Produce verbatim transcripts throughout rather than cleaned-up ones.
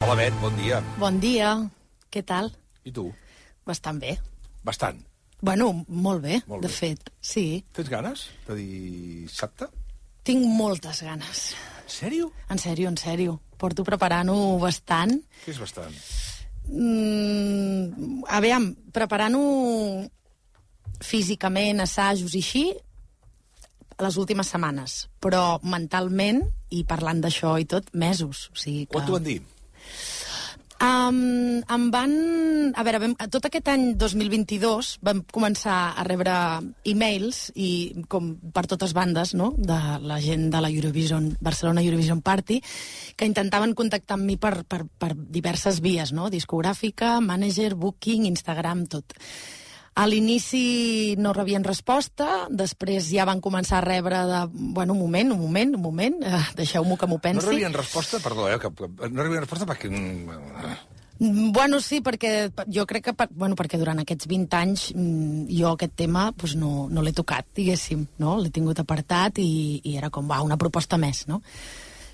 Hola, Bet, bon dia. Bon dia. Què tal? I tu? Bastant bé. Bastant. Bueno, molt bé, Molt de bé. fet, sí. Tens ganes de dissabte? Tinc moltes ganes. En sèrio? En sèrio, en sèrio. Porto preparant-ho bastant. Què és bastant? Mm, a veure, preparant-ho físicament, assajos i així, les últimes setmanes. Però mentalment, i parlant d'això i tot, mesos. O sigui que... Quan t'ho van dir? Um, em van... A veure, vam, tot aquest any dos mil vint-i-dos vam començar a rebre e-mails i com per totes bandes, no?, de la gent de la Eurovision, Barcelona Eurovision Party, que intentaven contactar amb mi per, per, per diverses vies, no?, discogràfica, manager, booking, Instagram, tot. A l'inici no rebien resposta, després ja van començar a rebre de... Bueno, un moment, un moment, un moment, eh, deixeu-m'ho que m'ho pensi. No rebien resposta? Perdó, eh? Que, no rebien resposta perquè... Bueno, sí, perquè jo crec que... Per, bueno, perquè durant aquests vint anys jo aquest tema pues, no, no l'he tocat, diguéssim, no? L'he tingut apartat i, i era com, va, una proposta més, no?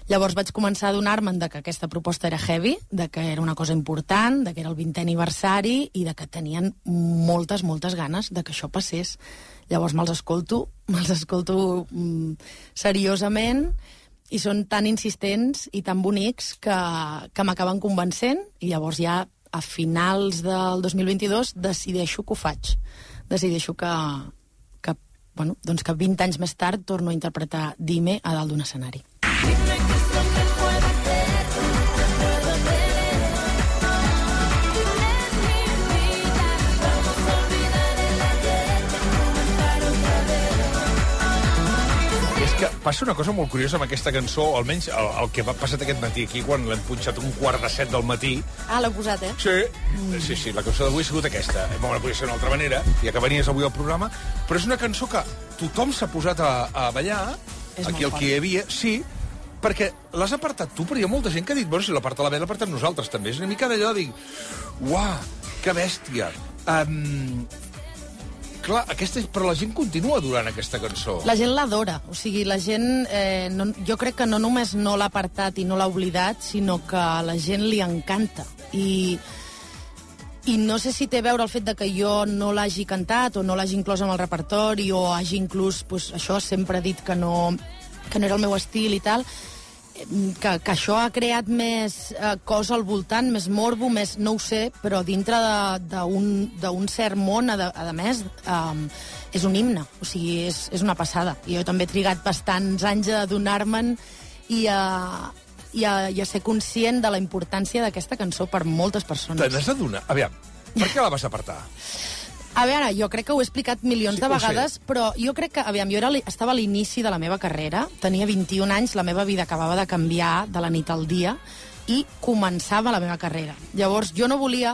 Llavors vaig començar a adonar-me'n de que aquesta proposta era heavy, de que era una cosa important, de que era el vintè aniversari i de que tenien moltes, moltes ganes de que això passés. Llavors me'ls escolto, me'ls escolto mm, seriosament i són tan insistents i tan bonics que, que m'acaben convencent i llavors ja a finals del dos mil vint-i-dos decideixo que ho faig. Decideixo que, que, bueno, doncs que vint anys més tard torno a interpretar Dime a dalt d'un escenari. Dime qué es lo que puedo hacer, no puedo tener. Es mi vida, vamos a olvidar el ayer, comenzar otra vez. És que passa una cosa molt curiosa amb aquesta cançó, o almenys el, el que va passat aquest matí aquí, quan l'hem punxat un quart de set del matí. Ah, l'heu posat, eh? Sí, mm. sí, sí, la cançó d'avui ha sigut aquesta. Bon, no podia ser d'una altra manera, ja que venies avui al programa, però és una cançó que tothom s'ha posat a, a ballar, És aquí el molt que hi fort. havia, sí, perquè l'has apartat tu, però hi ha molta gent que ha dit, bueno, si l'aparta la Bet, l'apartem nosaltres també. És una mica d'allò de dir, uah, que bèstia. Um, clar, aquesta, però la gent continua durant aquesta cançó. La gent l'adora, o sigui, la gent, eh, no, jo crec que no només no l'ha apartat i no l'ha oblidat, sinó que a la gent li encanta. I, i no sé si té a veure el fet de que jo no l'hagi cantat o no l'hagi inclòs en el repertori o hagi inclús, pues, això, sempre dit que no, que no era el meu estil i tal, que, que això ha creat més eh, cosa al voltant, més morbo, més, no ho sé, però dintre d'un cert món, a, a més, um, és un himne, o sigui, és, és una passada. I jo també he trigat bastants anys a adonar-me'n i a, i, a, i a ser conscient de la importància d'aquesta cançó per moltes persones. Te n'has d'adonar? Aviam, per què la vas apartar? A veure, jo crec que ho he explicat milions Sí, de ho vegades, sé. però jo crec que, aviam, jo era, estava a l'inici de la meva carrera, tenia vint-i-un anys, la meva vida acabava de canviar de la nit al dia i començava la meva carrera. Llavors, jo no volia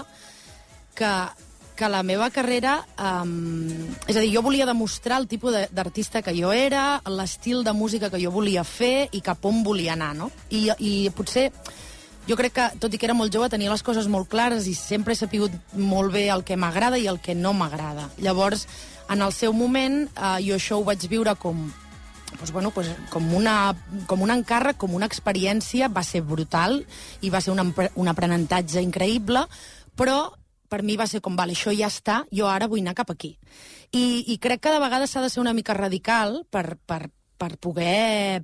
que, que la meva carrera... Um, és a dir, jo volia demostrar el tipus d'artista que jo era, l'estil de música que jo volia fer i cap on volia anar, no? I, i potser... Jo crec que, tot i que era molt jove, tenia les coses molt clares i sempre he sapigut molt bé el que m'agrada i el que no m'agrada. Llavors, en el seu moment, eh, jo això ho vaig viure com, doncs, bueno, doncs, com, una, com un encàrrec, com una experiència, va ser brutal i va ser un, un aprenentatge increïble, però per mi va ser com, vale, això ja està, jo ara vull anar cap aquí. I, i crec que de vegades s'ha de ser una mica radical per, per, per poder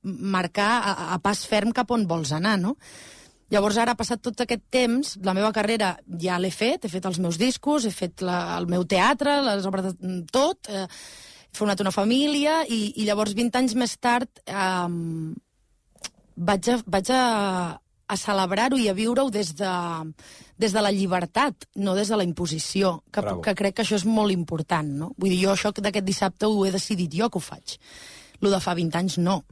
marcar a, a pas ferm cap on vols anar, no? Llavors, ara, ha passat tot aquest temps, la meva carrera ja l'he fet, he fet els meus discos, he fet la, el meu teatre, les obres de tot, eh, he format una família, i, i llavors, vint anys més tard, eh, vaig a, vaig a, a celebrar-ho i a viure-ho des de, des de la llibertat, no des de la imposició, que, que crec que això és molt important, no? Vull dir, jo això d'aquest dissabte ho he decidit jo que ho faig. Lo de fa vint anys, no.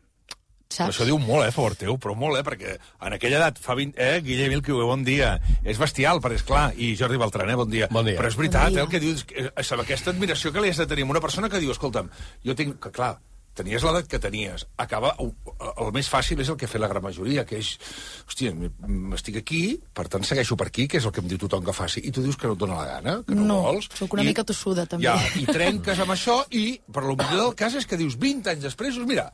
Saps? Això diu molt, eh, a favor teu, però molt, eh, perquè en aquella edat, fa vint... Eh, Guillem Ilquiu, bon dia. És bestial, perquè és clar, i Jordi Beltran, eh, bon dia. Bon dia. Però és veritat, Bon dia. eh, el que dius, eh, aquesta admiració que li has de tenir amb una persona que diu, escolta'm, jo tinc... Que, clar, tenies l'edat que tenies. Acaba... El més fàcil és el que ha fet la gran majoria, que és... Hòstia, estic aquí, per tant segueixo per aquí, que és el que em diu tothom que faci, i tu dius que no et dóna la gana, que no, No, vols. sóc una i, mica tossuda, també. Ja, i trenques amb això, i per lo millor del cas és que dius vint anys després, doncs mira,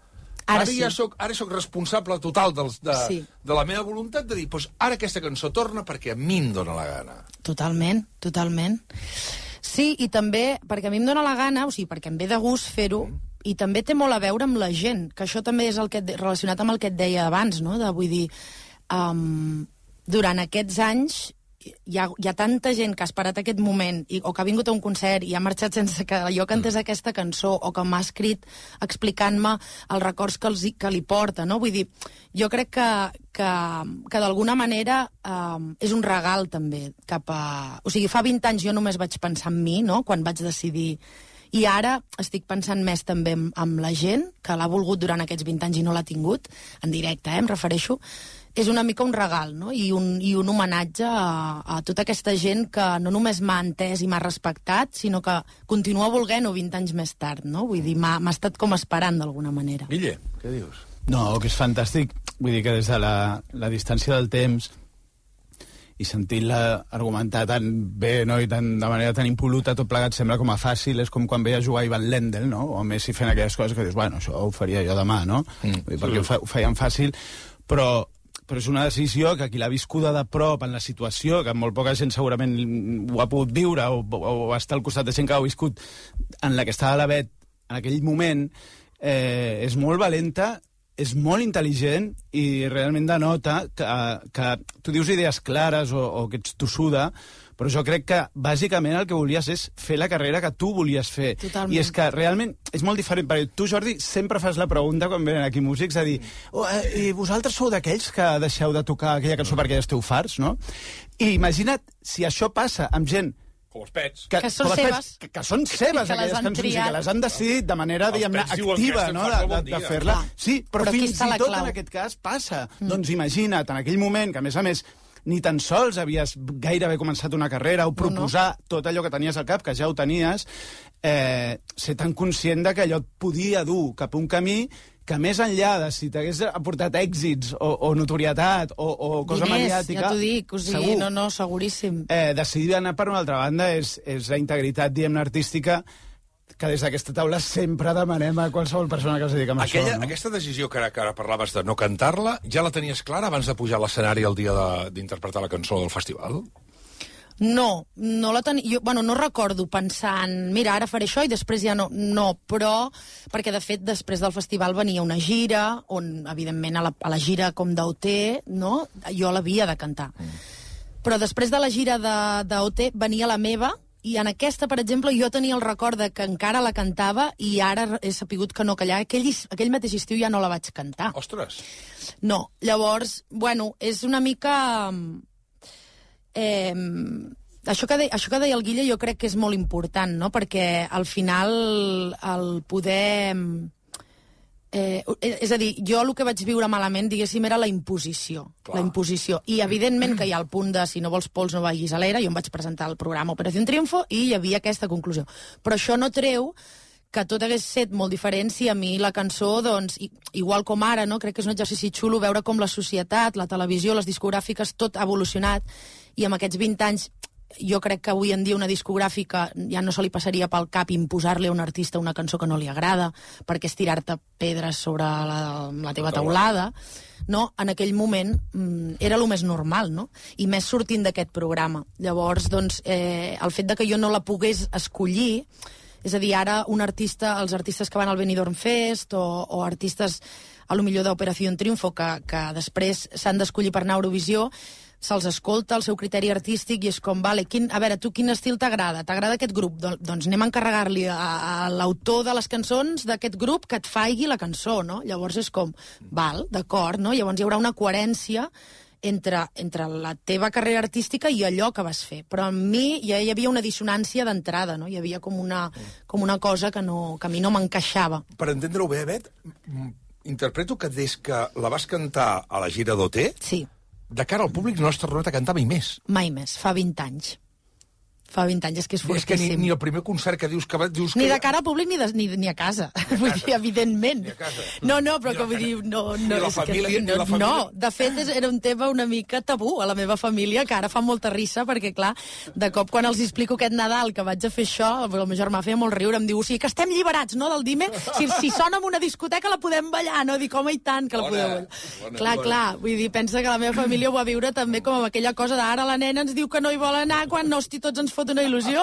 Ara, Ara, sí. ja soc, ara soc responsable total dels, de, Sí. de la meva voluntat de dir, doncs ara aquesta cançó torna perquè a mi em dóna la gana. Totalment, totalment. Sí, i també, perquè a mi em dóna la gana, o sigui, perquè em ve de gust fer-ho, mm. i també té molt a veure amb la gent, que això també és el que et, relacionat amb el que et deia abans, no? De, vull dir, um, durant aquests anys hi ha, hi ha tanta gent que ha esperat aquest moment i, o que ha vingut a un concert i ha marxat sense que jo cantés mm. aquesta cançó o que m'ha escrit explicant-me els records que, els, que li porta, no? Vull dir, jo crec que, que, que d'alguna manera um, és un regal també cap a... O sigui, fa vint anys jo només vaig pensar en mi, no?, quan vaig decidir... I ara estic pensant més també en, en la gent que l'ha volgut durant aquests vint anys i no l'ha tingut, en directe, eh, em refereixo. És una mica un regal, no?, i un, i un homenatge a, a tota aquesta gent que no només m'ha entès i m'ha respectat, sinó que continua volent-ho vint anys més tard, no? Vull dir, m'ha estat com esperant d'alguna manera. Guille, què dius? No, que és fantàstic. Vull dir que des de la, la distància del temps i sentint-la argumentar tan bé, no?, i tan, de manera tan impoluta, tot plegat sembla com a fàcil, és com quan veia jugar Ivan Lendl, no?, o Messi fent aquelles coses que dius, bueno, això ho faria jo demà, no?, mm, Vull dir, perquè ho, fa, ho feien fàcil, però, però és una decisió que qui l'ha viscuda de prop en la situació, que molt poca gent segurament ho ha pogut viure, o, o, o està al costat de gent que ho ha viscut, en la que estava la Bet en aquell moment, eh, és molt valenta, és molt intel·ligent i realment denota que, que tu dius idees clares o, o que ets tossuda, però jo crec que bàsicament el que volies és fer la carrera que tu volies fer. Totalment. I és que realment és molt diferent, perquè tu, Jordi, sempre fas la pregunta quan venen aquí músics a dir oh, eh, i vosaltres sou d'aquells que deixeu de tocar aquella cançó perquè ja esteu farts, no? I imagina't si això passa amb gent Com els pets. que, Que són com els seves. pets, que, que són seves, Que les aquelles han cançons, i triat. que les han decidit de manera, Els diguem-ne, pets diuen activa, que no?, estem de, fent de, bon de dia. fer-la. Clar. Sí, però, Però aquí fins està i la tot clau. en aquest cas passa. Mm. Doncs imagina't, en aquell moment, que a més a més ni tan sols havies gairebé començat una carrera o proposar no, no. tot allò que tenies al cap, que ja ho tenies, eh, ser tan conscient de que allò et podia dur cap a un camí que més enllà de si t'hagués aportat èxits o, o notorietat o, o cosa Diners, mediàtica... ja t'ho dic, o sigui, segur. no, no, seguríssim. Eh, decidir anar per una altra banda és, és la integritat, diguem-ne, artística que des d'aquesta taula sempre demanem a qualsevol persona que es dedica a Aquella, això, no? Aquesta decisió que ara, que ara parlaves de no cantar-la, ja la tenies clara abans de pujar a l'escenari el dia de- d'interpretar la cançó del festival? No, no la tenia... Jo, bueno, no recordo pensant, mira, ara faré això i després ja no. No, però... Perquè, de fet, després del festival venia una gira, on, evidentment, a la, a la gira com d'O T, no?, jo l'havia de cantar. Mm. Però després de la gira d'O T venia la meva, i en aquesta, per exemple, jo tenia el record de que encara la cantava i ara he sapigut que no, que allà, aquell, aquell mateix estiu ja no la vaig cantar. Ostres! No, llavors, bueno, és una mica... Eh, això, que de, això que deia el Guille jo crec que és molt important, no?, perquè al final el poder... Eh, és a dir, jo el que vaig viure malament, diguéssim, era la imposició. Clar. La imposició. I evidentment que hi ha el punt de si no vols pols no vagis a l'era, jo em vaig presentar el programa Operació Triunfo i hi havia aquesta conclusió. Però això no treu que tot hagués set molt diferent si a mi la cançó, doncs, i, igual com ara, no? Crec que és un exercici xulo veure com la societat, la televisió, les discogràfiques, tot ha evolucionat, i amb aquests vint anys jo crec que avui en dia una discogràfica ja no se li passaria pel cap imposar-li a un artista una cançó que no li agrada, perquè és tirar-te pedres sobre la, la teva teulada, no? En aquell moment mm, era el més normal, no? I més sortint d'aquest programa. Llavors, doncs, eh, el fet de que jo no la pogués escollir, és a dir, ara un artista, els artistes que van al Benidorm Fest o, o artistes a lo millor d'Operació Triunfo que, que després s'han d'escollir per anar a Eurovisió, se'ls escolta el seu criteri artístic i és com, vale, quin, a veure, tu quin estil t'agrada? T'agrada aquest grup? Don, doncs anem a encarregar-li a, a l'autor de les cançons d'aquest grup que et faigui la cançó, no? Llavors és com, val, d'acord, no? Llavors hi haurà una coherència entre, entre la teva carrera artística i allò que vas fer. Però en mi ja hi havia una dissonància d'entrada, no? Hi havia com una, com una cosa que, no, que a mi no m'encaixava. Per entendre-ho bé, Bet, m- interpreto que des que la vas cantar a la gira d'O T, Sí, de cara al públic no has tornat a cantar mai més. mai més, fa vint anys. Fa vint anys, és que és És que ni, fortíssim. ni el primer concert que dius que... va- Dius Ni que... de cara al públic ni, de, ni, ni a casa. Vull dir, evidentment. Ni a casa. No, no, però Ni que la vull dir... No, ni no, la és que família- ni no, la família. no, de fet, és, era un tema una mica tabú a la meva família, que ara fa molta rissa, perquè, clar, de cop quan els explico aquest Nadal que vaig a fer això, el meu germà feia molt riure, em diu, o sigui, que estem lliberats, no, del Dime? Si, si sona en una discoteca la podem ballar, no? Dic, home, i tant, que la Bona, podeu ballar. bona, clar, bona. clar, vull dir, pensa que la meva família ho va viure també com amb aquella cosa d'ara la nena ens diu que no hi vol anar quan, no, hosti, tots ens fot una il·lusió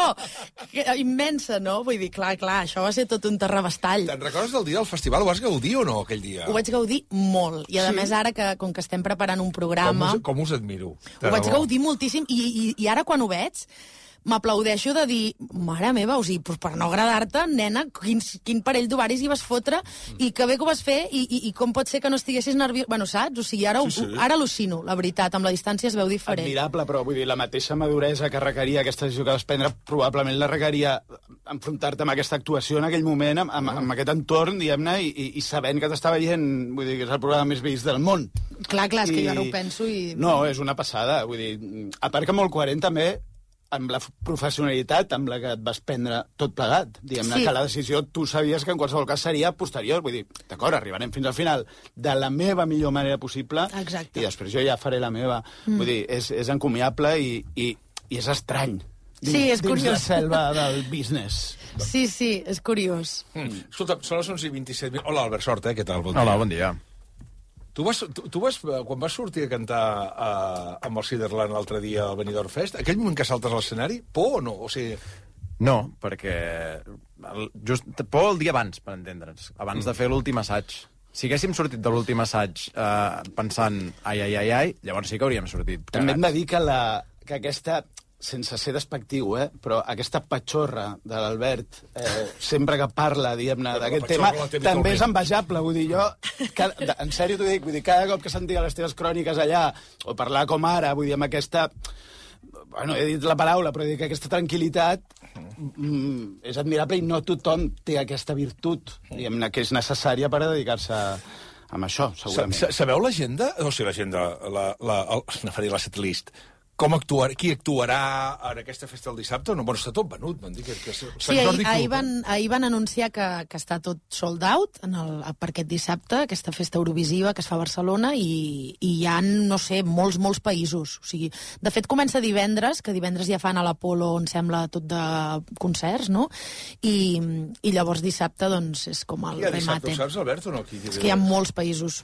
que, immensa, no? Vull dir, clar, clar, això va ser tot un terrabastall. Te'n recordes del dia del festival? Ho vas gaudir o no, aquell dia? Ho vaig gaudir molt. I, a Sí? més, ara, que com que estem preparant un Com programa, us, com us admiro. de ho vaig debò. gaudir moltíssim. I, i, i ara, quan ho veig, m'aplaudeixo de dir, mare meva, o sigui, pues per no agradar-te, nena, quin, quin parell d'ovaris hi vas fotre, i que bé que ho vas fer, i, i, i com pot ser que no estiguessis nerviós... Bueno, saps? O sigui, ara, Sí, sí. ara al·lucino, la veritat, amb la distància es veu diferent. Admirable, però vull dir, la mateixa maduresa que requeria aquesta decisió que vas prendre, probablement la requeria enfrontar-te amb aquesta actuació en aquell moment, amb, amb, amb aquest entorn, diguem-ne, i, i, i sabent que t'estava veient, vull dir, que és el programa més vist del món. Clar, clar, és que I- jo ara ho penso i... No, és una passada, vull dir, a part que molt coherent també amb la professionalitat amb la que et vas prendre tot plegat. Diguem-ne Sí. que la decisió tu sabies que en qualsevol cas seria posterior. Vull dir, d'acord, arribarem fins al final de la meva millor manera possible Exacte. i després jo ja faré la meva. Mm. Vull dir, és, és encomiable i, i, i és estrany. Dins, Sí, és dins curiós. la selva del business. Sí, sí, és curiós. Mm. Escolta, són les onze i vint-i-set minuts. Hola, Albert, sort, eh? Què tal? Bon dia. Hola, bon dia. Tu vas, tu, tu vas, eh, quan vas sortir a cantar uh, amb el Ciderland l'altre dia al Benidorm Fest, aquell moment que saltes a l'escenari, por o no? O sigui, No, perquè... El, just, por el dia abans, per entendre'ns. Abans de fer l'últim assaig. Si haguéssim sortit de l'últim assaig eh, pensant ai, ai, ai, ai, llavors sí que hauríem sortit. També hem de cagats. dir que, la, que aquesta, sense ser despectiu, eh, però aquesta patxorra de l'Albert, eh, sempre que parla, diguem-ne, Però la d'aquest patxorra tema, la té també és habitualment. envejable. Vull dir, jo, cada, de- en sèrio t'ho dic, vull dir, cada cop que sentia les teves cròniques allà, o parlar com ara, vull dir, amb aquesta... Bueno, he dit la paraula, però dic que aquesta tranquil·litat mm, és admirable i no tothom té aquesta virtut, diguem-ne, que és necessària per a dedicar-se a, a això, sa, segurament. sa, sabeu l'agenda? O sigui, l'agenda, la, la, el, no faré la setlist. Com actuar, qui actuarà en aquesta festa el dissabte? No, bueno, està tot venut, m'han dit que, que és Sant Sí, ahir, Jordi Club, ahir, eh? van, ahir van anunciar que, que està tot sold out en el, per aquest dissabte, aquesta festa eurovisiva que es fa a Barcelona, i, i hi ha, no sé, molts, molts països. O sigui, de fet, comença divendres, que divendres ja fan a l'Apolo, on sembla tot de concerts, no? I, i llavors dissabte, doncs, és com el Qui ha dissabte, remate. ho saps, Albert, o no? Qui, qui És que hi ha molts països.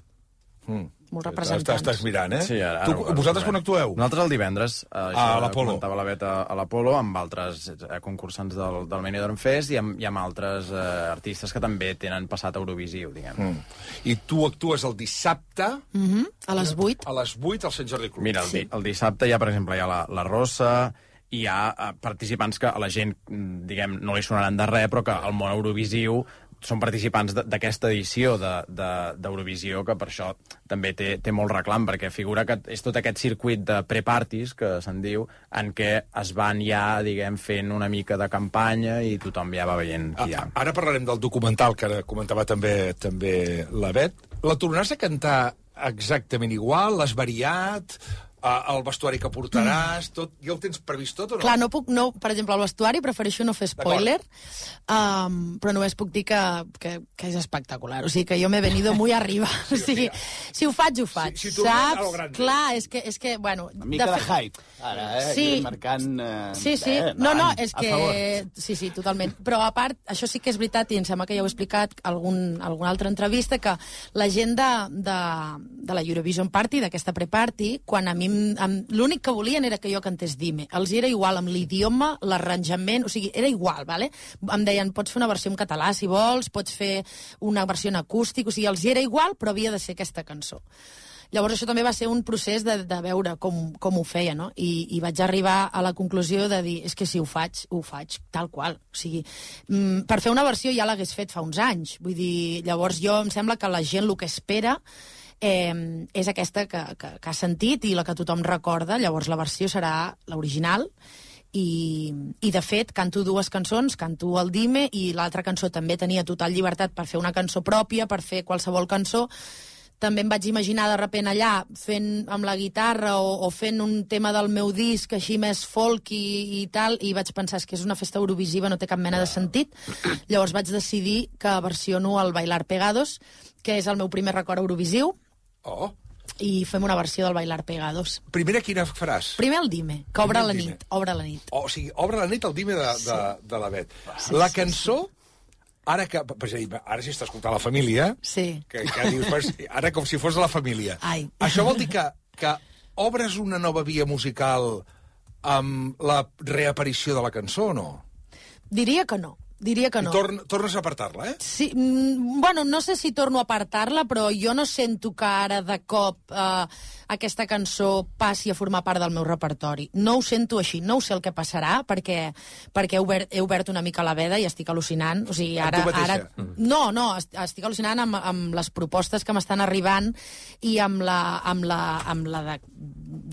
Mm. molts Estàs, representants. estàs mirant, eh? Sí, ara, tu, ara, vosaltres ara. quan actueu? Nosaltres el divendres. Eh, A això l'Apolo. Comentava la Beta a l'Apolo, amb altres eh, concursants del, del Benidorm Fest i amb, i amb altres eh, artistes que també tenen passat Eurovisiu, diguem. Mm. I tu actues el dissabte Mm -hmm. A les vuit. a les vuit al Sant Jordi Club. Mira, el, di, el dissabte hi ha, per exemple, hi ha la, la Rosa, hi ha eh, participants que a la gent, mm, diguem, no li sonaran de res, però que al món Eurovisiu són participants de- d'aquesta edició de- de- d'Eurovisió, de, que per això també té, té molt reclam, perquè figura que és tot aquest circuit de pre-parties, que se'n diu, en què es van ja, diguem, fent una mica de campanya i tothom ja va veient qui hi ha. A, ara parlarem del documental que ara comentava també també la Bet. La tornaràs a cantar exactament igual? L'has variat? Uh, el vestuari que portaràs? Tot, ja ho tens previst tot o no? Clar, no puc, no, per exemple, el vestuari prefereixo no fer spoiler, um, però només puc dir que, que, que és espectacular. O sigui, que jo m'he venido muy arriba. O sigui, si ho faig, ho faig, Si- si tornem a lo saps? grande. Clar, és que, és que bueno... Una mica de, fe- hype, ara, eh? Sí. Aquí marcant... Eh, Sí, sí. eh, No, no, endavant, és a favor. que... Sí, sí, totalment. Però, a part, això sí que és veritat, i em sembla que ja ho he explicat algun, alguna altra entrevista, que la gent de, de, de la Eurovision Party, d'aquesta pre-party, quan a mi... em- em- L'únic que volien era que jo cantés Dime. Els era igual amb l'idioma, l'arranjament, o sigui, era igual, vale? Em deien, pots fer una versió en català, si vols, pots fer una versió en acústic, o sigui, els era igual, però havia de ser aquesta cançó. Llavors això també va ser un procés de, de veure com, com ho feia, no? I, I vaig arribar a la conclusió de dir, és que si ho faig, ho faig tal qual. O sigui, mm, per fer una versió ja l'hagués fet fa uns anys. Vull dir, llavors jo em sembla que la gent el que espera eh, és aquesta que, que, que ha sentit i la que tothom recorda. Llavors la versió serà l'original. I, i de fet canto dues cançons, canto el Dime i l'altra cançó també tenia total llibertat per fer una cançó pròpia, per fer qualsevol cançó. també em vaig imaginar de repent allà fent amb la guitarra o, o fent un tema del meu disc així més folk i, i tal, i vaig pensar és que és una festa eurovisiva, no té cap mena de sentit. Llavors vaig decidir que versiono el Bailar Pegados, que és el meu primer record eurovisiu, Oh. i fem una versió del Bailar Pegados. Primera, quina faràs? Primer el Dime, que obre Primer el la Dime. nit, obre la nit. O sigui, obre la nit el Dime de, de, de la Bet. La cançó, ara que... És a dir, ara si està escoltant la família, Sí. que, que dius, pues, ara com si fos de la família. Ai. Això vol dir que, que obres una nova via musical amb la reaparició de la cançó o no? Diria que no. Diria que no. I torn, tornes a apartar-la, eh? Sí, mm, bueno, no sé si torno a apartar-la, però jo no sento que ara de cop eh, aquesta cançó passi a formar part del meu repertori. No ho sento així, no ho sé el que passarà, perquè, perquè he, obert, he obert una mica la veda i estic al·lucinant. O sigui, ara, Amb tu mateixa? ara, no, no, est- estic al·lucinant amb, amb les propostes que m'estan arribant i amb la, amb la, amb la de,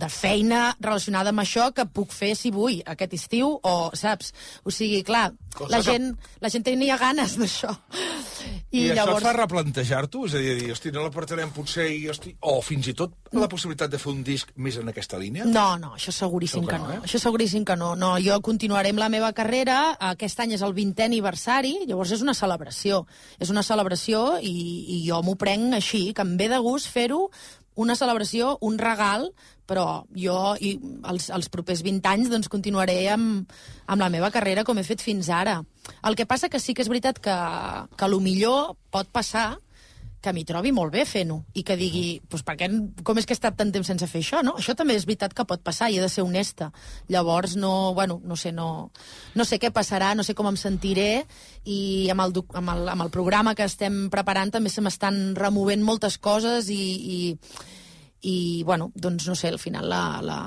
de feina relacionada amb això que puc fer si vull aquest estiu, o, saps? O sigui, clar, Cosa la que- gent, la gent tenia ganes d'això. I, I, I llavors... això et fa replantejar-t'ho? És a dir, dir, hosti, no la portarem potser i, hosti, o fins i tot la possibilitat de fer un disc més en aquesta línia? No, no, això seguríssim Això que que no, no. eh? Això seguríssim que no. No, jo continuaré amb la meva carrera. Aquest any és el vintè aniversari, llavors és una celebració. És una celebració i, i jo m'ho prenc així, que em ve de gust fer-ho, una celebració, un regal, però jo i els, els propers vint anys doncs, continuaré amb, amb la meva carrera com he fet fins ara. El que passa que sí que és veritat que, que a lo millor pot passar que m'hi trobi molt bé fent-ho i que digui, doncs per què, com és que he estat tant temps sense fer això, no? Això també és veritat que pot passar i he de ser honesta. Llavors, no, bueno, no sé, no, no sé què passarà, no sé com em sentiré i amb el, doc- amb el, amb el programa que estem preparant també se m'estan removent moltes coses i, i, i bueno, doncs no sé, al final la, la,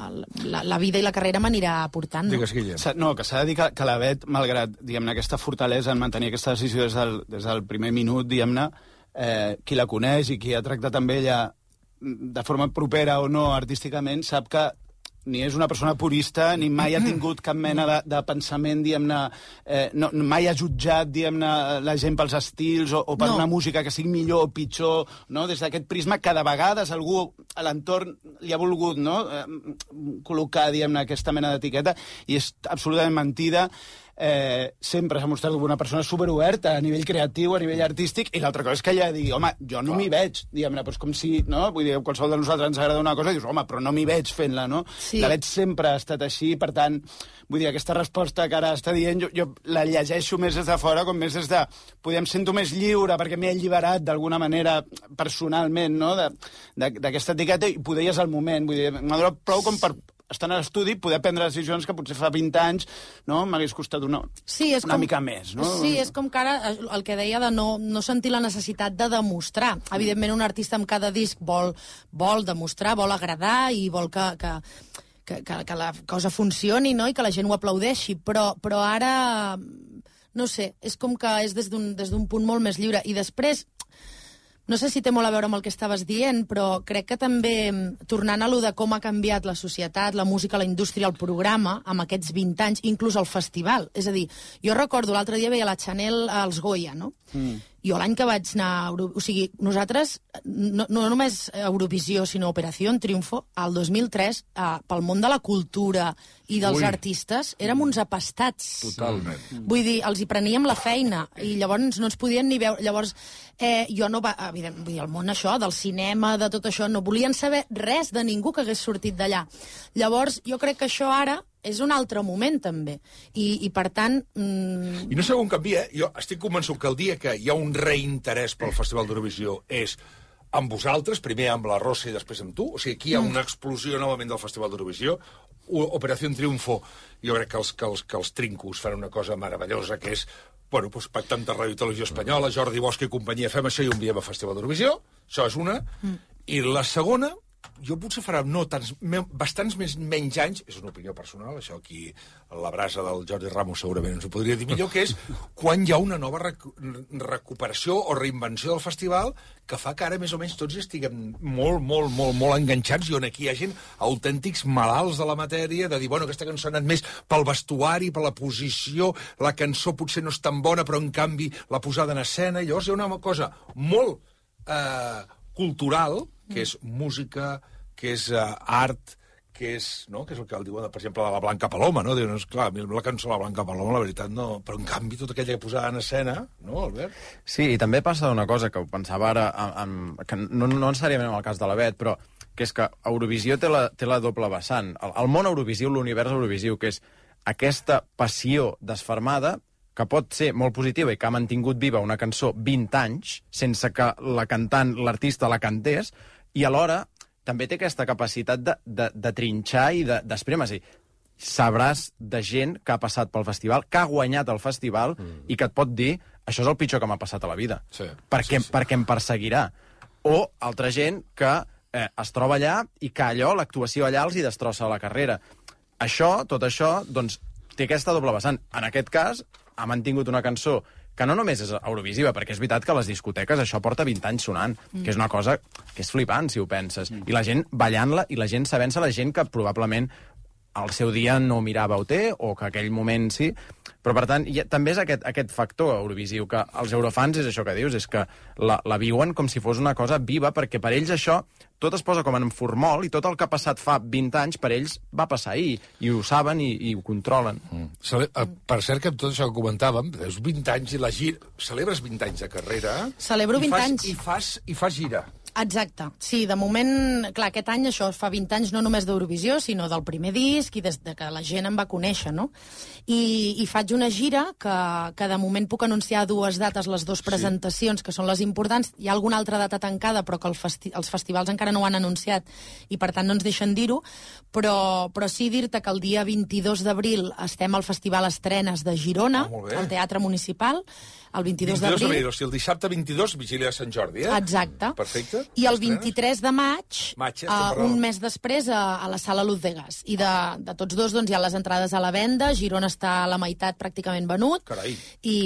la, la vida i la carrera m'anirà portant. No? Digues, Guillem. S'ha- No, que s'ha de dir que, que la Bet, malgrat diguem-ne aquesta fortalesa en mantenir aquesta decisió des del, des del primer minut, diguem-ne, eh, qui la coneix i qui ha tractat amb ella de forma propera o no artísticament, sap que ni és una persona purista, ni mai ha tingut cap mena de, de pensament, diguem-ne, eh, no, mai ha jutjat, diguem-ne, la gent pels estils o, o per No. una música que sigui millor o pitjor, no? Des d'aquest prisma que de vegades algú a l'entorn li ha volgut, no?, eh, col·locar, diguem-ne, aquesta mena d'etiqueta, i és absolutament mentida. Eh, sempre s'ha mostrat com una persona superoberta a nivell creatiu, a nivell artístic, i l'altra cosa és que ella digui, home, jo no m'hi veig, diguem-ne, doncs com si, no?, vull dir, qualsevol de nosaltres ens agrada una cosa i dius, home, però no m'hi veig fent-la, no? Sí. La Bet sempre ha estat així, per tant, vull dir, aquesta resposta que ara està dient, jo, jo la llegeixo més des de fora, com més des de, podem sento més lliure, perquè m'he alliberat d'alguna manera personalment, no?, de- de- d'aquesta etiqueta, i poder ja és el moment, vull dir, m'ha donat prou com per estar a l'estudi, poder prendre decisions que potser fa vint anys, no?, m'hagués costat una, Sí, és una com, mica més, no? Sí, és com que ara eh, el que deia de no, no sentir la necessitat de demostrar. Evidentment, un artista amb cada disc vol, vol demostrar, vol agradar i vol que, que, que, que, que la cosa funcioni, no?, i que la gent ho aplaudeixi, però, però ara, no sé, és com que és des d'un des d'un punt molt més lliure. I després, no sé si té molt a veure amb el que estaves dient, però crec que també, tornant a lo de com ha canviat la societat, la música, la indústria, el programa, amb aquests vint anys, inclús el festival. És a dir, jo recordo, l'altre dia veia la Chanel als Goya, no? Mm. Jo l'any que vaig anar a Euro... O sigui, nosaltres, no, no només Eurovisió, sinó Operació Triunfo, al dos mil tres, eh, pel món de la cultura i dels Ui. artistes, érem uns apastats. Totalment. Vull dir, els hi preníem la feina i llavors no ens podien ni veure. Llavors, eh, jo no va... Evident, vull dir, el món això, del cinema, de tot això, no volien saber res de ningú que hagués sortit d'allà. Llavors, jo crec que això ara és un altre moment, també. I, i per tant... Mm, I no sé on canvia, eh? Jo estic convençut que el dia que hi ha un reinterès pel Festival d'Eurovisió és amb vosaltres, primer amb la Rosa i després amb tu, o sigui, aquí hi ha una explosió novament del Festival d'Eurovisió, O- Operació Triunfo, jo crec que els, que, els, que els trincos fan una cosa meravellosa, que és, bueno, doncs, pactant de Ràdio i Televisió Espanyola, Jordi Bosch i companyia, fem això i ho enviem a Festival d'Eurovisió, això és una, mm. i la segona, jo potser farà no tants, me, bastants més, menys anys, és una opinió personal, això aquí la brasa del Jordi Ramos segurament ens ho podria dir millor, que és quan hi ha una nova rec recuperació o reinvenció del festival que fa que ara més o menys tots estiguem molt, molt, molt, molt enganxats i on aquí hi ha gent autèntics malalts de la matèria, de dir, bueno, aquesta cançó ha anat més pel vestuari, per la posició, la cançó potser no és tan bona, però en canvi la posada en escena, i llavors hi ha una cosa molt... Eh, cultural, que és música, que és uh, art, que és, no? que és el que el diuen, per exemple, de la Blanca Paloma, no? Diuen, esclar, a mi la cançó de la Blanca Paloma, la veritat, no... Però, en canvi, tota aquella que posava en escena, no, Albert? Sí, i també passa una cosa que ho pensava ara, en, en, que no, no necessàriament en el cas de la Bet, però que és que Eurovisió té la, té la doble vessant. El, el món Eurovisiu, l'univers Eurovisiu, que és aquesta passió desfermada que pot ser molt positiva i que ha mantingut viva una cançó vint anys sense que la cantant, l'artista la cantés, i alhora també té aquesta capacitat de, de, de trinxar i d'esprémer. De, sabràs de gent que ha passat pel festival, que ha guanyat el festival mm. i que et pot dir això és el pitjor que m'ha passat a la vida. Sí, perquè, sí, sí. perquè em perseguirà. O altra gent que eh, es troba allà i que allò, l'actuació allà, els hi destrossa la carrera. Això, tot això, doncs, té aquesta doble vessant. En aquest cas, ha mantingut una cançó que no només és eurovisiva, perquè és veritat que a les discoteques això porta vint anys sonant, mm. que és una cosa que és flipant, si ho penses. Mm. I la gent ballant-la, i la gent sabent-se, la gent que probablement al seu dia no mirava O T, o que aquell moment sí, però per tant, ha, també és aquest, aquest factor eurovisiu, que els eurofans és això que dius, és que la, la viuen com si fos una cosa viva, perquè per ells això tot es posa com en formol, i tot el que ha passat fa vint anys per ells va passar ahir, i ho saben i, i ho controlen. Mm. Cele per cert, que amb tot això que comentàvem, veus vint anys i la gira... Celebres vint anys de carrera... Celebro vint i fas, anys. I fas, i fas gira. Exacte. Sí, de moment, clar, aquest any això fa vint anys no només d'Eurovisió, sinó del primer disc i des de que la gent em va conèixer, no? I, i faig una gira que, que de moment puc anunciar dues dates, les dues presentacions, sí. que són les importants. Hi ha alguna altra data tancada, però que el festi els festivals encara no ho han anunciat i, per tant, no ens deixen dir-ho. Però, però sí dir-te que el dia vint-i-dos d'abril estem al Festival Estrenes de Girona, ah, al Teatre Municipal, el vint-i-dos d'abril. d'abril. O sigui, el dissabte vint-i-dos, vigília de Sant Jordi, eh? Exacte. Perfecte. I el vint-i-tres de maig, maig eh, uh, un mes després, a, a la Sala Luz de Gas. I de, de tots dos, doncs, hi ha les entrades a la venda. Girona està a la meitat pràcticament venut. Carai. I,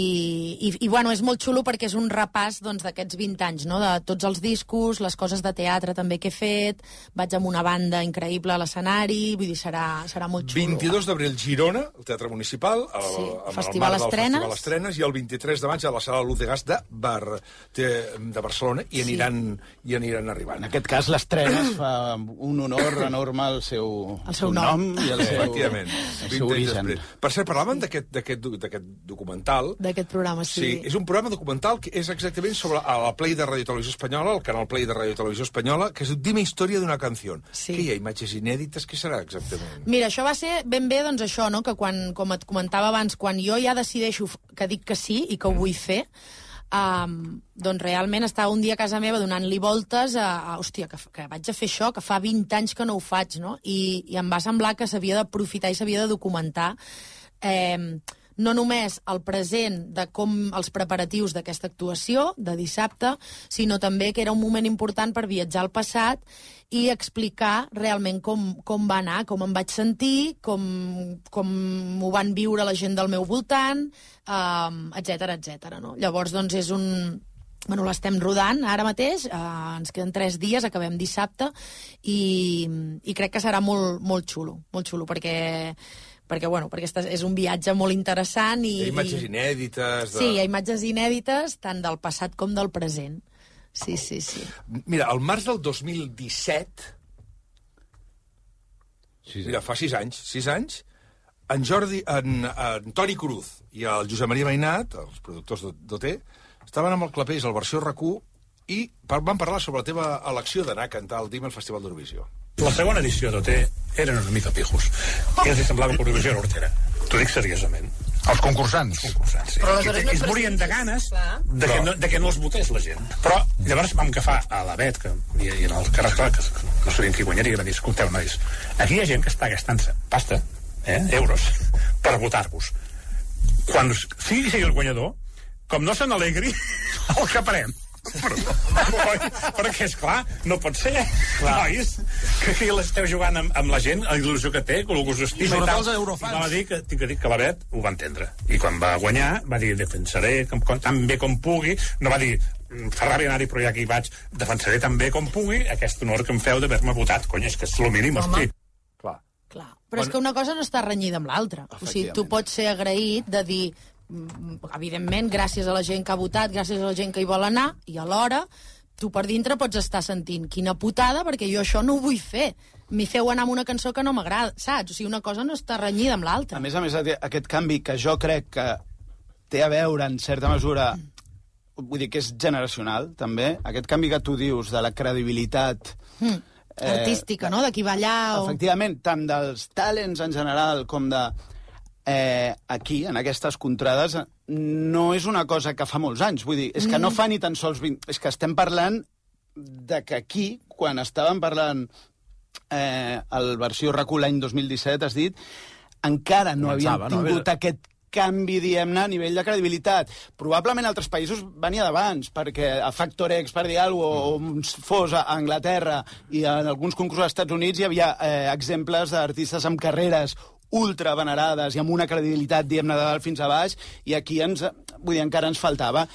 i, i bueno, és molt xulo perquè és un repàs doncs, d'aquests vint anys, no? De tots els discos, les coses de teatre també que he fet. Vaig amb una banda increïble a l'escenari. Vull dir, serà, serà molt xulo. vint-i-dos d'abril, Girona, al Teatre Municipal, el, sí, amb Festival el marc del Estrenes. Festival Estrenes, i el vint-i-tres de maig a la Sala Luz de Gas de, Bar, de, de Barcelona, i aniran, sí. i aniran arribant. En aquest cas, l'estrena es fa un honor enorme al seu, el seu nom. nom i al seu, efectivament, el seu origen. Per cert, parlaven d'aquest documental. D'aquest programa, sí. Sí, és un programa documental que és exactament sobre la Play de Radio Televisió Espanyola, el canal Play de Radio Televisió Espanyola, que és Dime història d'una canció. Sí. Que hi ha imatges inèdites? Què serà exactament? Mira, això va ser ben bé, doncs això, no? Que quan, com et comentava abans, quan jo ja decideixo que dic que sí i que ho vull fer, Um, doncs realment estava un dia a casa meva donant-li voltes a, a hòstia, que, que vaig a fer això, que fa vint anys que no ho faig, no? I, i em va semblar que s'havia d'aprofitar i s'havia de documentar eh, no només el present de com els preparatius d'aquesta actuació de dissabte, sinó també que era un moment important per viatjar al passat i explicar realment com, com va anar, com em vaig sentir, com, com ho van viure la gent del meu voltant, um, etcètera, etcètera, no? Llavors, doncs, és un... Bueno, l'estem rodant ara mateix, eh, ens queden tres dies, acabem dissabte, i, i crec que serà molt, molt xulo, molt xulo, perquè... perquè, bueno, perquè és un viatge molt interessant i... Hi ha imatges inèdites... De... Sí, hi ha imatges inèdites, tant del passat com del present. Sí, sí, sí. Mira, al març del dos mil disset, sí, mira, fa sis anys, sis anys, en Jordi, en, en Toni Cruz i el Josep Maria Mainat, els productors d'O T, estaven amb el Clapés al versió R Q i van parlar sobre la teva elecció d'anar a cantar el Dime al Festival d'Eurovisió. La segona edició d'O T eren una mica pijos. I els semblava que Eurovisió era hortera. T'ho dic seriosament. Els concursants? Els concursants, sí. Però aleshores no es morien de ganes de que, no, de que no els votés la gent. Però llavors vam agafar a la Bet, que, i, i en el Carles Clar, que no sabien qui guanyaria, i van dir, escolteu, nois, aquí hi ha gent que està gastant-se pasta, eh, euros, per votar-vos. Quan sigui, sigui el guanyador, com no se n'alegri, el caparem. Però, perquè, esclar, no pot ser, clar. Nois, que aquí l'esteu jugant amb, amb la gent, la il·lusió que té, que us estima i tal. Els eurofans. I va dir que, tinc que dir que la Bet ho va entendre. I quan va guanyar, va dir, defensaré com, com, tan bé com pugui. No va dir, fa ràbia anar-hi, però ja aquí vaig, defensaré tan bé com pugui aquest honor que em feu d'haver-me votat. Cony, és que és el mínim, hosti. Clar. Clar. Però és que una cosa no està renyida amb l'altra. O sigui, tu pots ser agraït de dir, evidentment, gràcies a la gent que ha votat, gràcies a la gent que hi vol anar, i alhora tu per dintre pots estar sentint quina putada, perquè jo això no ho vull fer. M'hi feu anar amb una cançó que no m'agrada, saps? O sigui, una cosa no està renyida amb l'altra. A més a més, aquest canvi que jo crec que té a veure, en certa mesura, vull dir que és generacional, també, aquest canvi que tu dius de la credibilitat... Mm. Eh, artística, no? De qui va allà o... Efectivament, tant dels talents en general com de... Eh, aquí, en aquestes contrades, no és una cosa que fa molts anys. Vull dir, és que no fa ni tan sols vint... És que estem parlant de que aquí, quan estàvem parlant eh, el versió R A C U l'any dos mil disset, has dit, encara no Començava, havíem no? tingut aquest canvi, diguem-ne, a nivell de credibilitat. Probablement altres països venia d'abans, perquè a Factor X, per dir alguna cosa, o fos a Anglaterra i en alguns concursos als Estats Units hi havia eh, exemples d'artistes amb carreres ultra venerades i amb una credibilitat, diguem-ne, de dalt fins a baix, i aquí ens, vull dir, encara ens faltava.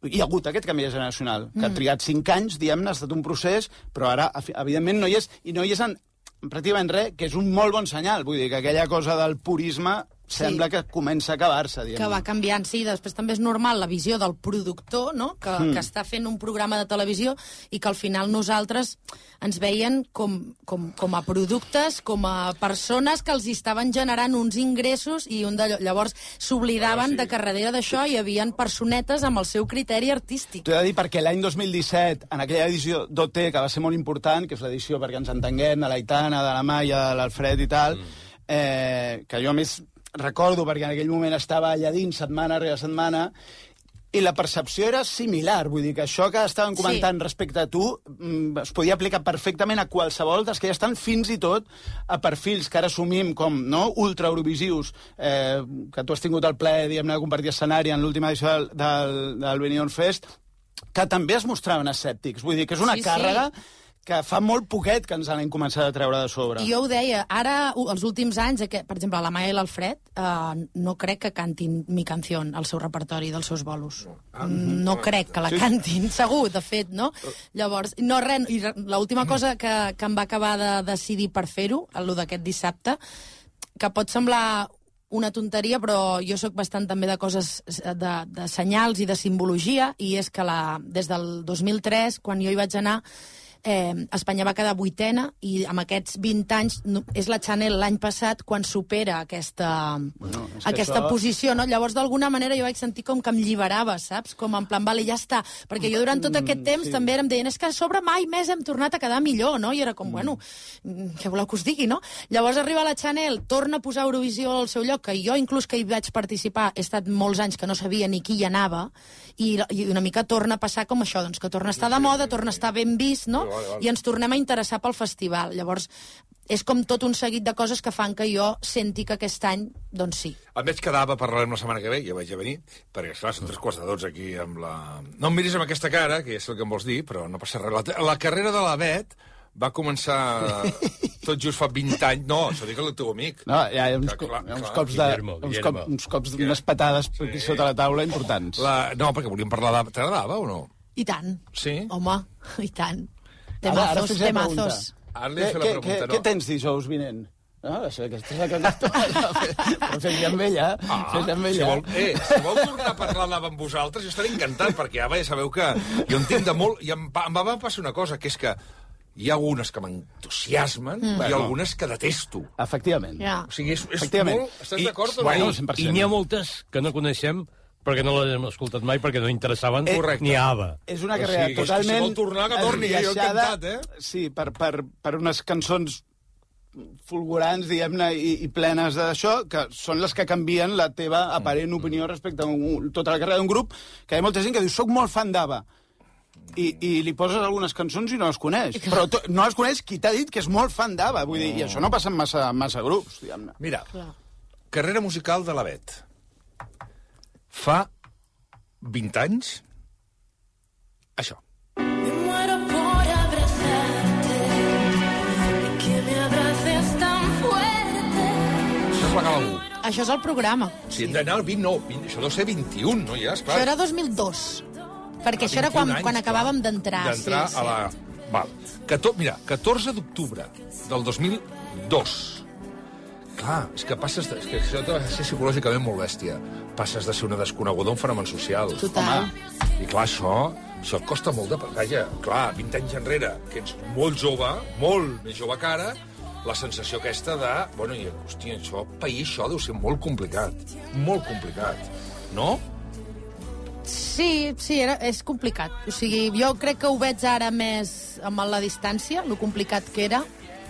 Hi ha hagut aquest canvi generacional, que ha trigat cinc anys, diguem-ne, ha estat un procés, però ara, evidentment, no hi és, i no hi és en, en pràcticament res, que és un molt bon senyal. Vull dir, que aquella cosa del purisme sembla Sí. que comença a acabar-se, diguem. Que va canviant, sí. Després també és normal la visió del productor, no? que, mm. que està fent un programa de televisió i que al final nosaltres ens veien com, com, com a productes, com a persones que els estaven generant uns ingressos i un d'allò. Llavors s'oblidaven ah, sí. de que darrere d'això hi havia personetes amb el seu criteri artístic. T'ho he de dir perquè l'any dos mil disset, en aquella edició d'O T, que va ser molt important, que és l'edició perquè ens entenguem, de l'Aitana, de la Maia, de l'Alfred i tal, mm. eh, que jo a més recordo perquè en aquell moment estava allà dins setmana rere setmana i la percepció era similar, vull dir que això que estàvem comentant sí. respecte a tu es podia aplicar perfectament a qualsevol dels que ja estan fins i tot a perfils que ara assumim com no, ultra eurovisius, eh, que tu has tingut el plaer diguem-ne de compartir escenari en l'última edició del, del, del Benidorm Fest, que també es mostraven escèptics, vull dir que és una sí, càrrega sí. que fa molt poquet que ens han començat a treure de sobre. I jo ho deia, ara, els últims anys, per exemple, la Maia i l'Alfred, eh, no crec que cantin Mi Canción al seu repertori dels seus bolos. No crec que la cantin, segur, de fet, no? Llavors, no res, i l'última cosa que, que em va acabar de decidir per fer-ho, el d'aquest dissabte, que pot semblar una tonteria, però jo sóc bastant també de coses, de, de senyals i de simbologia, i és que la, des del dos mil tres, quan jo hi vaig anar, Eh, Espanya va quedar vuitena i amb aquests vint anys no, és la Chanel l'any passat quan supera aquesta, bueno, aquesta això... posició, no? Llavors d'alguna manera jo vaig sentir com que em lliberava, saps? Com en plan, vale, ja està, perquè jo durant tot aquest temps mm, sí. també em deien, és que a sobre mai més hem tornat a quedar millor, no? I era com, mm. bueno, què voleu que us digui, no? Llavors arriba la Chanel, torna a posar Eurovisió al seu lloc, que jo inclús que hi vaig participar he estat molts anys que no sabia ni qui hi anava, i, i una mica torna a passar com això, doncs que torna a estar de moda, torna a estar ben vist, no? Vale, vale. I ens tornem a interessar pel festival. Llavors, és com tot un seguit de coses que fan que jo senti que aquest any, doncs sí. Em vaig quedar, parlarem la setmana que ve, ja vaig a venir, perquè, esclar, són tres quarts de dotze aquí amb la... No em miris amb aquesta cara, que ja sé el que em vols dir, però no passa res. La, la carrera de la Bet va començar tot just fa vint anys. No, això dic el teu amic. No, hi ha uns, que, clar, uns clar. cops de... Guillermo, uns, Guillermo. cop, uns cops d'unes patades sí. aquí sota la taula importants. La... No, perquè volíem parlar de... T'agradava o no? I tant. Sí? Home, i tant. Ara, ara Temazos, fes la temazos. Ara li he fet la Què, pregunta, què, no? què tens dijous vinent? No, això, aquesta és la que... Però fes-li amb ella, Ah, fes-li amb si ella. vol, eh, si vol tornar a parlar amb vosaltres, jo estaré encantat, perquè ara ja sabeu que jo en tinc de molt... I em, em va passar una cosa, que és que hi ha algunes que m'entusiasmen mm. i Bueno. algunes que detesto. Efectivament. Ja. O sigui, és, és Efectivament. molt... Estàs I- d'acord o bueno, no? cent per I cent. n'hi ha moltes que no coneixem perquè no les hem escoltat mai, perquè no interessaven Eh, correcte. ni a ABBA. És una O carrera sigui, que si totalment... vol tornar, que torni, jo esbiaixada, encantat, eh? Sí, per, per, per unes cançons fulgurants, diguem-ne, i, i plenes d'això, que són les que canvien la teva aparent opinió respecte a un, tota la carrera d'un grup, que hi ha molta gent que diu, soc molt fan d'ABBA, i, i li poses algunes cançons i no les coneix. Però to, no les coneix qui t'ha dit que és molt fan d'ABBA, vull dir, i això no passa en massa, massa grups, diguem-ne. Mira, Clar. carrera musical de la Bet. Fa vint anys, això. Me muero por abrazarte y que me abraces tan fuerte. Això és la Gala u. Això és el programa. Si hem d'anar al vint, no, vint, això deu ser vint-i-un, no? Ja, esclar. Això era dos mil dos. Perquè això era quan, vint-i-un anys, quan acabàvem clar, d'entrar. D'entrar sí, a la... Val. Cator... Mira, catorze d'octubre del dos mil dos. Clar, clar, és que passes... De, és que això ha de ser psicològicament molt bèstia. Passes de ser una desconeguda a un fenomen social. Total. Home, i clar, això, això et costa molt de... Vaja, clar, vint anys enrere, que ets molt jove, molt més jove que ara, la sensació aquesta de... Bueno, i, hòstia, això, pair això deu ser molt complicat. Molt complicat. No? Sí, sí, era, és complicat. O sigui, jo crec que ho veig ara més amb la distància, lo complicat que era,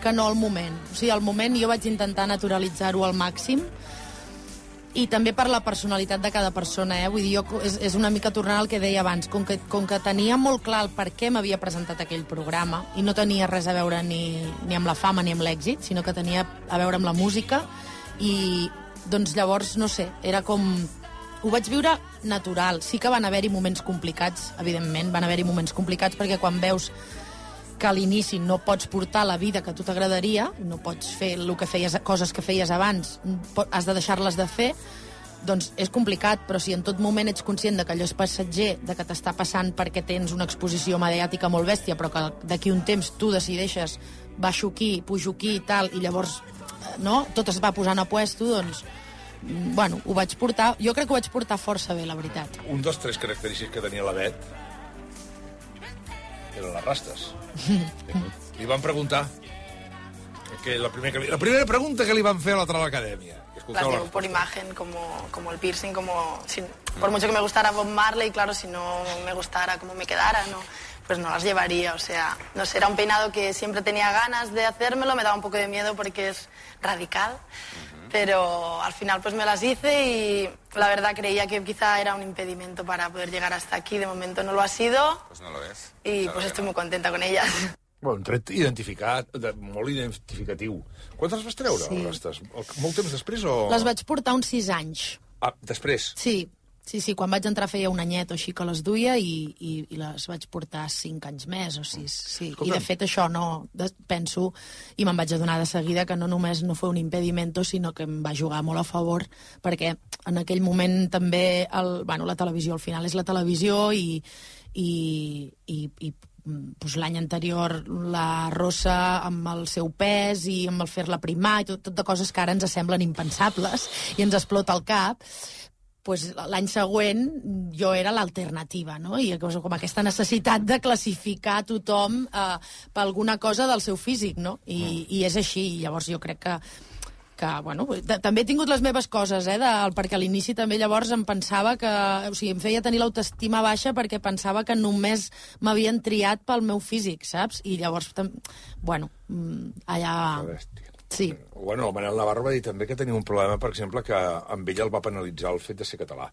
que no al moment. O sigui, al moment jo vaig intentar naturalitzar-ho al màxim, i també per la personalitat de cada persona, eh? Vull dir, jo, és, és una mica tornant al que deia abans, com que, com que tenia molt clar el per què m'havia presentat aquell programa, i no tenia res a veure ni, ni amb la fama ni amb l'èxit, sinó que tenia a veure amb la música, i doncs llavors, no sé, era com... Ho vaig viure natural. Sí que van haver-hi moments complicats, evidentment, van haver-hi moments complicats, perquè quan veus que a l'inici no pots portar la vida que a tu t'agradaria, no pots fer el que feies, coses que feies abans, has de deixar-les de fer, doncs és complicat, però si en tot moment ets conscient de que allò és passatger, de que t'està passant perquè tens una exposició mediàtica molt bèstia, però que d'aquí un temps tu decideixes baixo aquí, pujo aquí i tal, i llavors no, tot es va posant a puesto, doncs bueno, ho vaig portar, jo crec que ho vaig portar força bé, la veritat. Un dels tres característics que tenia la Bet eren les rastes. Li van preguntar que la, primera, la primera pregunta que li van fer a la Real Academia. Las llevo por imagen, como, como el piercing, como si, por mucho que me gustara Bob Marley, claro, si no me gustara como me quedara, no, pues no las llevaría. O sea, no sé, era un peinado que siempre tenía ganas de hacérmelo, me daba un poco de miedo porque es radical, pero al final pues me las hice y la verdad creía que quizá era un impedimento para poder llegar hasta aquí. De momento no lo ha sido. Pues no lo es. Y Claro pues que estoy no. muy contenta con ellas. Bueno, un tret identificat, de, molt identificatiu. Quantes les vas treure, Sí. les rastes? Molt temps després o...? Les vaig portar uns sis anys. Ah, després? Sí, sí, sí, quan vaig entrar feia un anyet o així que les duia i, i, i les vaig portar cinc anys més o sis, sí. I de fet això no, de, penso, i me'n vaig adonar de seguida que no només no fue un impedimento, sinó que em va jugar molt a favor, perquè en aquell moment també, el, bueno, la televisió al final és la televisió i, i, i, i pues, l'any anterior la Rosa amb el seu pes i amb el fer-la primar i tot, tot de coses que ara ens semblen impensables i ens explota el cap, pues, l'any següent jo era l'alternativa, no? I com aquesta necessitat de classificar tothom eh, per alguna cosa del seu físic, no? I, i és així, i llavors jo crec que que, bueno, també he tingut les meves coses, eh, de, perquè a l'inici també llavors em pensava que, o sigui, em feia tenir l'autoestima baixa perquè pensava que només m'havien triat pel meu físic, saps? I llavors, bueno, allà... Sí. Bueno, el Manel Navarro va dir també que tenia un problema, per exemple, que amb ell el va penalitzar el fet de ser català.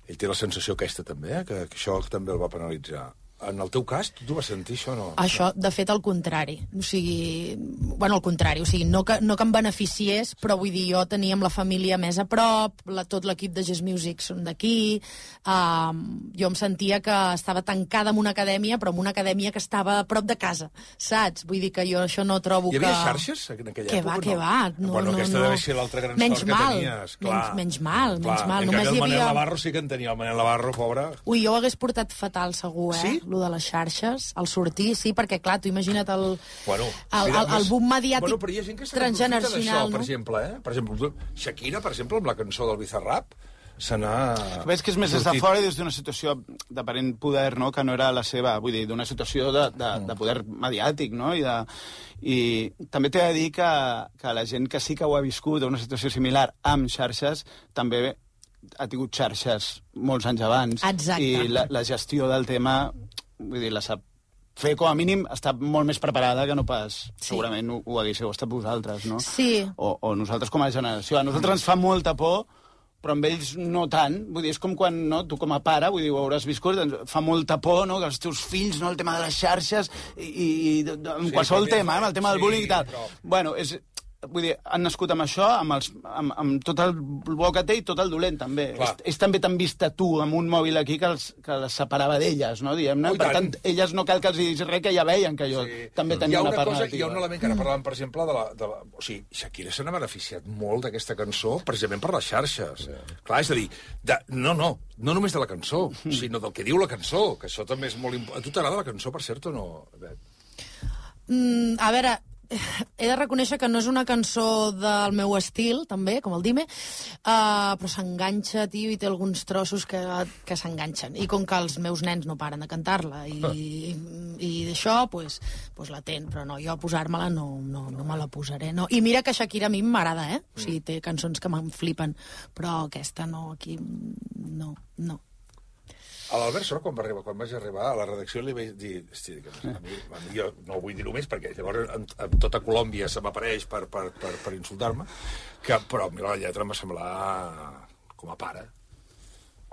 Ell té la sensació aquesta també, eh, que, que això també el va penalitzar. En el teu cas, tu vas sentir això o no? Això, de fet, al contrari. O sigui, bueno, al contrari, o sigui, no que, no que em beneficiés, però vull dir, jo tenia amb la família més a prop, la, tot l'equip de Jazz Music són d'aquí, um, jo em sentia que estava tancada en una acadèmia, però en una acadèmia que estava a prop de casa, saps? Vull dir que jo això no trobo que... Hi havia xarxes en aquella que època? Va, que no? va, no, bueno, no, aquesta no. deve ser l'altra gran menys sort que mal, tenies. Clar. Menys, menys mal, Clar. menys mal. En Només canvi, el hi havia... Manel Navarro sí que en tenia. El Manel Navarro, pobre... Ui, jo ho hagués portat fatal, segur, eh? Sí? Lo de les xarxes, al sortir, sí, perquè, clar, tu imagina't el, Bueno, el, mira, el, el boom mediàtic bueno, però hi ha gent que se n'aprofita transgeneracional, d'això, no? per exemple, eh? Per exemple, Shakira, per exemple, amb la cançó del Bizarrap, se n'ha... Veig que és més des de fora i des d'una situació d'aparent poder, no?, que no era la seva, vull dir, d'una situació de, de, de poder mediàtic, no?, i, de, i també t'he de dir que, que la gent que sí que ho ha viscut una situació similar amb xarxes, també ha tingut xarxes molts anys abans. Exacte. I la, la gestió del tema, vull dir, la sap fer, com a mínim, està molt més preparada que no pas, Sí. segurament ho, ho haguéssiu estat vosaltres, no? Sí. O, o nosaltres com a generació. A nosaltres ens fa molta por, però amb ells no tant. Vull dir, és com quan, no, tu com a pare, vull dir, ho hauràs viscut, ens fa molta por, no?, que els teus fills, no?, el tema de les xarxes, i, i, i amb Sí, qualsevol també, tema, eh, amb el tema del sí, bullying i tal. però- Bueno, és... Vull dir, han nascut amb això, amb, els, amb, amb tot el bo que té i tot el dolent, també. Clar. És, és també tan vista tu amb un mòbil aquí que, els, que les separava d'elles, no?, diguem-ne. Oh, i Per tant. tant, elles no cal que els diguis res, que ja veien que jo Sí. també Hi ha tenia una una part cosa, negativa. hi ha un element que ara parlàvem, per exemple, de la... De la o sigui, Shakira se n'ha beneficiat molt d'aquesta cançó precisament per les xarxes. Sí. Clar, és a dir, de, no, no, no només de la cançó, sinó del que diu la cançó, que això també és molt important. A tu t'agrada la cançó, per cert, o no, Bet? Mm, a veure, he de reconèixer que no és una cançó del meu estil, també, com el Dime, uh, però s'enganxa, tio, i té alguns trossos que, que s'enganxen. I com que els meus nens no paren de cantar-la, i, i, i d'això, pues, pues la ten. Però no, jo a posar-me-la no, no, no me la posaré. No. I mira que Shakira a mi m'agrada, eh? O sigui, té cançons que me'n flipen, però aquesta no, aquí no, no. A l'Albert Sor, quan, va arribar, quan vaig arribar a la redacció, li vaig dir... Hosti, que a mi, a mi jo no vull dir-ho més, perquè llavors en, en tota Colòmbia se m'apareix per, per, per, per insultar-me, que, però mira, la lletra em va semblar com a pare.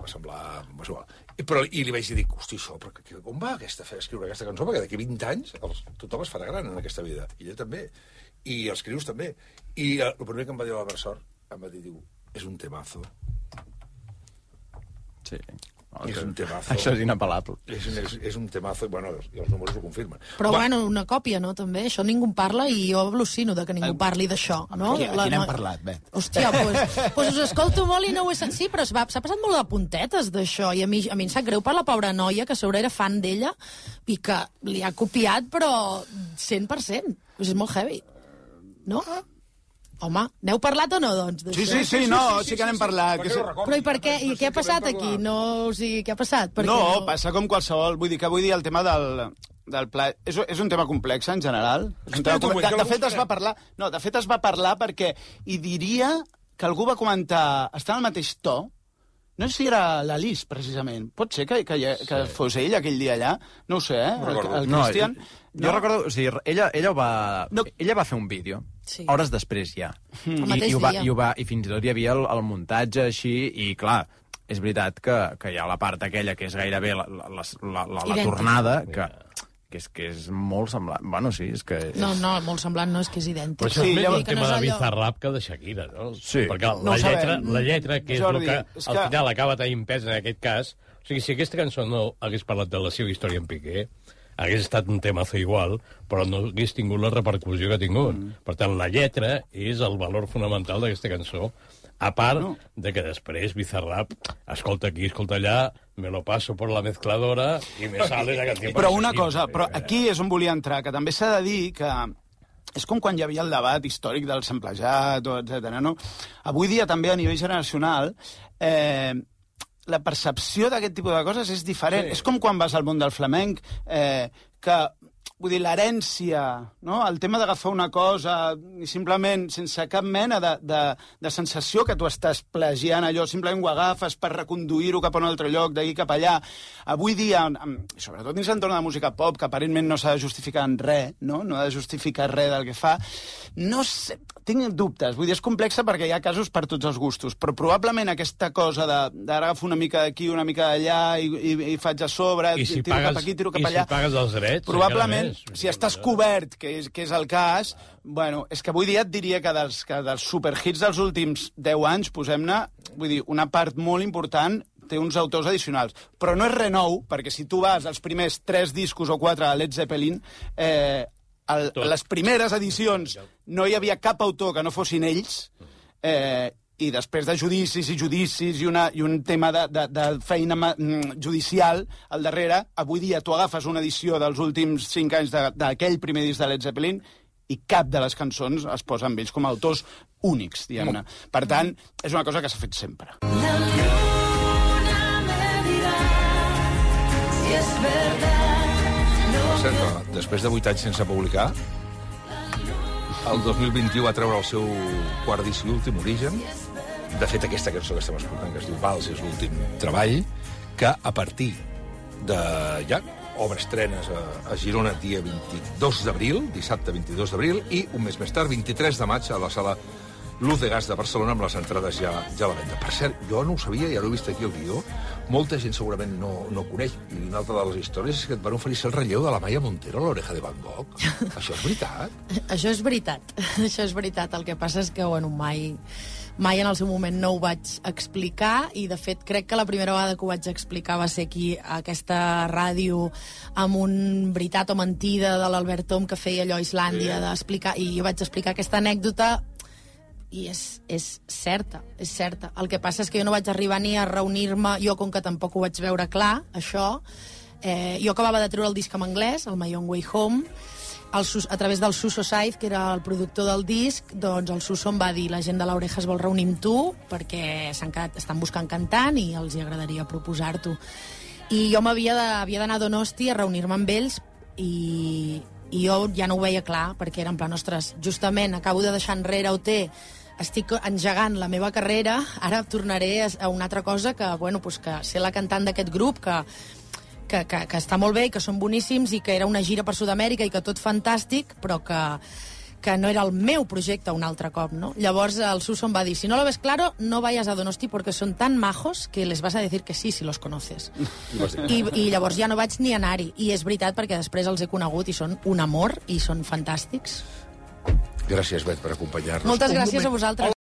Va semblar... Va semblar. I, però, I li vaig dir, hosti, això, però que, on va aquesta, fer escriure aquesta cançó? Perquè d'aquí vint anys els, tothom es farà gran en aquesta vida. I ella també. I els crius també. I el primer que em va dir l'Albert Sor, em va dir, diu, és un temazo. Sí. És un temazo. Això és inapel·lable. És, és, és un temazo, bueno, i els números ho confirmen. Però, Va. bueno, una còpia, no, també? Això ningú en parla i jo al·lucino de que ningú parli d'això, no? Aquí, aquí n'hem parlat, Bet. Hòstia, doncs pues, pues us escolto molt i no ho he sentit, sí, però s'ha passat molt de puntetes d'això, i a mi, a mi em sap greu per la pobra noia, que a sobre era fan d'ella, i que li ha copiat, però cent per cent. Pues és molt heavy, no? Home, n'heu parlat o no, doncs? Sí, sí, sí, no, sí que n'hem parlat. Que... Però i per què? I què ha passat aquí? No, o sigui, què ha passat? Per No, què no, passa com qualsevol. Vull dir que vull dir el tema del, del pla... És, és un tema complex, en general. És un tema complex. De, de fet, es va parlar... No, de fet, es va parlar perquè hi diria que algú va comentar... Està en el mateix to. No sé si era l'Alice, precisament. Pot ser que, que, que sí. fos ell aquell dia allà? No ho sé, eh? El, el Christian... No, jo no? recordo... O sigui, ella, ella, va, no. ella va fer un vídeo. Sí. Hores després ja. Mm. I, i, ho va, i, ho va, I fins i tot hi havia el, el muntatge així, i clar, és veritat que, que hi ha la part aquella que és gairebé la, la, la, la, la, la tornada, que, que, és, que és molt semblant. Bueno, sí, és que... És... No, no, molt semblant no, és que és idèntic. Però això Sí, és més llavors- el tema de Bizarrap que de Shakira, no? Sí. Perquè No la, ho lletra, sabem. la lletra, que és Jordi, el que, és al que- final acaba tenint pes en aquest cas... O sigui, si aquesta cançó no hagués parlat de la seva història en Piqué, hagués estat un temazo igual, però no hagués tingut la repercussió que ha tingut. Mm. Per tant, la lletra és el valor fonamental d'aquesta cançó, a part no. de que després Bizarrap escolta aquí, escolta allà, me lo paso por la mezcladora i me sale la canció. Però una cosa, però aquí és on volia entrar, que també s'ha de dir que és com quan hi havia el debat històric del samplejat, etcètera. No? Avui dia també a nivell generacional eh, la percepció d'aquest tipus de coses és diferent. Sí. És com quan vas al món del flamenc, eh, que, vull dir, l'herència, no? El tema d'agafar una cosa i simplement, sense cap mena de, de, de sensació que tu estàs plagiant allò, simplement ho agafes per reconduir-ho cap a un altre lloc, d'aquí cap allà. Avui dia, sobretot dins l'entorn de la música pop, que aparentment no s'ha de justificar en res, no? No ha de justificar res del que fa, no sé, tinc dubtes. Vull dir, és complexa perquè hi ha casos per tots els gustos, però probablement aquesta cosa d'ara agafo una mica d'aquí, una mica d'allà i, i, i faig a sobre, I si tiro pagues, cap aquí, tiro cap i allà... si pagues els drets... Probablement, si estàs cobert, que és, que és el cas, bueno, és que avui dia et diria que dels, que dels superhits dels últims deu anys, posem-ne, vull dir, una part molt important té uns autors addicionals. Però no és res nou, perquè si tu vas als primers tres discos o quatre de Led Zeppelin, eh, el, les primeres edicions no hi havia cap autor que no fossin ells, eh, i després de judicis i judicis i, una, i un tema de, de, de feina judicial al darrere, avui dia tu agafes una edició dels últims cinc anys d'aquell primer disc de Led Zeppelin i cap de les cançons es posa amb ells com a autors únics, diguem-ne. Per tant, és una cosa que s'ha fet sempre. La luna me dirá si es verdad lo Per cert, que després de vuit anys sense publicar, el dos mil vint-i-u va treure el seu quart disc i últim, Origen. De fet, aquesta cançó que estem escoltant, que es diu Vals, és l'últim treball, que a partir de ja obres estrenes a, a Girona dia vint-i-dos d'abril, dissabte vint-i-dos d'abril, i un mes més tard, vint-i-tres de maig, a la sala Luz de Gas de Barcelona, amb les entrades ja, ja a la venda. Per cert, jo no ho sabia, ja l'he vist aquí al guió, molta gent segurament no, no coneix, i una altra de les històries és que et van oferir el relleu de la Maya Montero a l'Oreja de Van Gogh. Això és veritat? Això és veritat, això és veritat. El que passa és que, bueno, mai, mai en el seu moment no ho vaig explicar, i de fet crec que la primera vegada que ho vaig explicar va ser aquí, a aquesta ràdio, amb un veritat o mentida de l'Albert Tom que feia allò a Islàndia, d'explicar, i jo vaig explicar aquesta anècdota, i és, és certa, és certa. El que passa és que jo no vaig arribar ni a reunir-me, jo com que tampoc ho vaig veure clar, això, eh, jo acabava de treure el disc en anglès, el My Own Way Home, el, Sus- a través del Suso Saiz, que era el productor del disc, doncs el Suso em va dir la gent de l'Oreja es vol reunir amb tu perquè s'han quedat, estan buscant cantant i els hi agradaria proposar-t'ho. I jo m'havia de- havia d'anar a Donosti a reunir-me amb ells i, i jo ja no ho veia clar, perquè era en plan, ostres, justament acabo de deixar enrere O T, estic engegant la meva carrera, ara tornaré a, a una altra cosa que, bueno, pues que ser la cantant d'aquest grup, que Que, que, que està molt bé i que són boníssims i que era una gira per Sud-amèrica i que tot fantàstic, però que, que no era el meu projecte un altre cop, no? Llavors el Suso em va dir, si no lo ves claro, no vayas a Donosti porque son tan majos que les vas a decir que sí si los conoces. I, i llavors ja no vaig ni anar-hi. I és veritat perquè després els he conegut i són un amor i són fantàstics. Gràcies, Bet, per acompanyar-nos. Moltes Un gràcies moment. a vosaltres.